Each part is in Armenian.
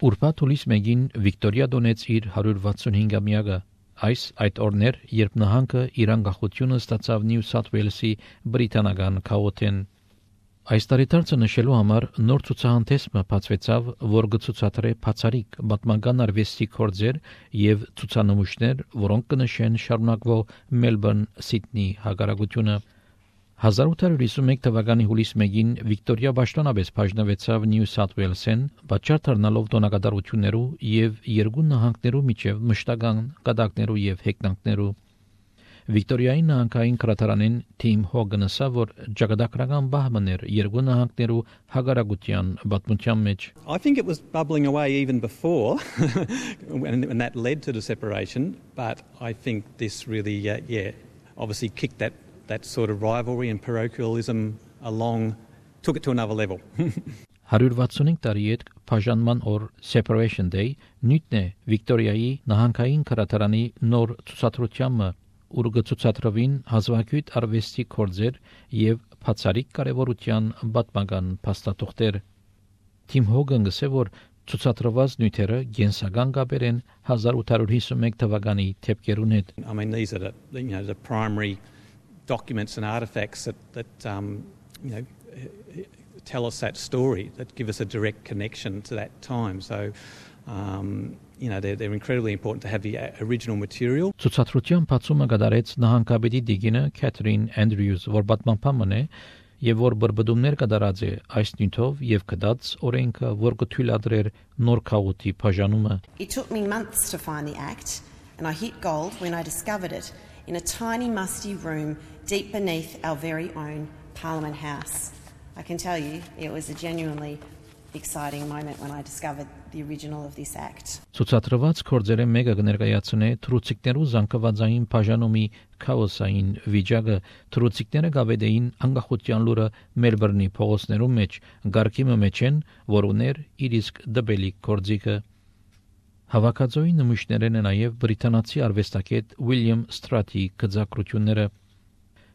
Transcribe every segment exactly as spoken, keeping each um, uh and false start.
Ուրբաթ հուլիս մեկին Վիկտորիա դոնեց իր հարյուր վաթսունհինգամյակը։ Այս այդ օրներ, երբ նահանգը իր անկախությունը ստացավ Նյու Սաթ Ուելսի բրիտանական քաղաքեն։ Այս տարեդարձը նշելու համար նոր ցուցահանդեսը բացվեցավ, որ կցուցադրե բացառիկ պատմական արվեստի գործեր եւ ցուցանմուշներ, որոնք կնշեն շարունակվող Մելբուրն Սիդնի հագարակությունը։ հազար ութ հարյուր հիսունմեկ թվականի հուլիս մեկին Վիկտորիա պաշտոնապես բաժնվեցավ Նյու Սաթ Ուելսեն, պատճառ դառնալով տոնակատարություններու եւ երկու նահանգներու միջև մշտական կատակներու եւ հեգնանքներու։ Վիկտորիայի նահանգային քրատարանին Թիմ Հոգանը ասա, որ ճակատագրական բահմներ երկու նահանգներու հագարակության պատմության մեջ։ I think it was bubbling away even before and, and that led to the separation, but I think this really uh, yeah, obviously kicked that that sort of rivalry and parochialism along, took it to another level. հարյուր վաթսունհինգ տարի հետ բաժանման օր Separation Day նույնն է Վիկտորիայի նահանգային քրատարանի նոր ցուցադրությանը, ուր կցուցադրվին հազվագյուտ արվեստի գործեր եւ բացառիկ կարեւորության պատմական փաստաթղթեր։ Թիմ Հոգանը ասել, որ ցուցադրված նյութերը գենսական կապեր են հազար ութ հարյուր հիսունմեկ թվականի թեփքերուն հետ։ I mean, these are the, you know, the primary documents and artifacts that, that um, you know, tell us that story, that give us a direct connection to that time. So, um, you know, they're, they're incredibly important to have the original material. Ցուցադրության բացումը կատարեց նահանգապետի դիգինը Քեթրին Անդրյուզ, որ պատմապանն է եւ որ բրբդումներ կատարած է այս նյութով եւ կդած օրենքը, որ կթույլատրեր նոր քաղուտի բաժանումը։ It took me months to find the act, and I hit gold when I discovered it in a tiny musty room deep beneath our very own Parliament House. I can tell you it was a genuinely exciting moment when I discovered the original of this act. Ցուցադրված գործերը մեկը կներկայացնե թրուցիկներու զանգվածային բաժանումի քաոսային վիճակը, թրուցիկները գավեդեին անկախության լուրը Մելբուրնի փողոցներու մեջ, գարկի մեջ են, որ ուներ իր իսկ դբելի գործիքը։ Հավաքածոյի նմուշներն են նաև բրիտանացի արվեստագետ Ուիլյամ Ստրատի գծակրությունները։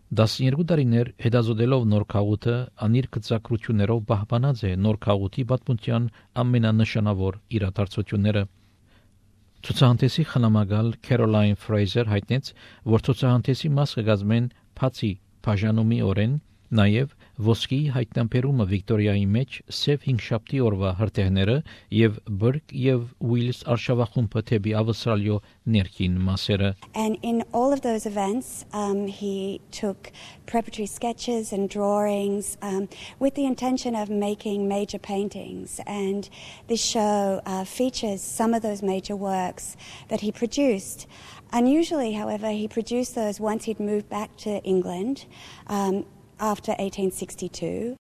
տասներկու տարիներ հետազոտելով նոր քաղուտը, անիր գծակրություններով պահպանած է նոր քաղուտի պատմության ամենանշանավոր իրադարձությունները։ Ցուցահանդեսի խնամակալ Քերոլայն Ֆրեյզեր հայտնեց, որ ցուցահանդեսի մաս կգազմեն բացի բաժանումի օրեն, նաև ոսկի հայտնաբերումը Վիկտորիայի մեջ սև հինգշաբթի օրվա հրթիռները եւ Բրկ եւ Ուիլս արշավախումբը թեպի Ավստրալիո ներքին մասերը։ And in all of those events, um, he took preparatory sketches and drawings um, with the intention of making major paintings. And this show uh, features some of those major works that he produced. Unusually, however, he produced those once he'd moved back to England um, after eighteen sixty-two.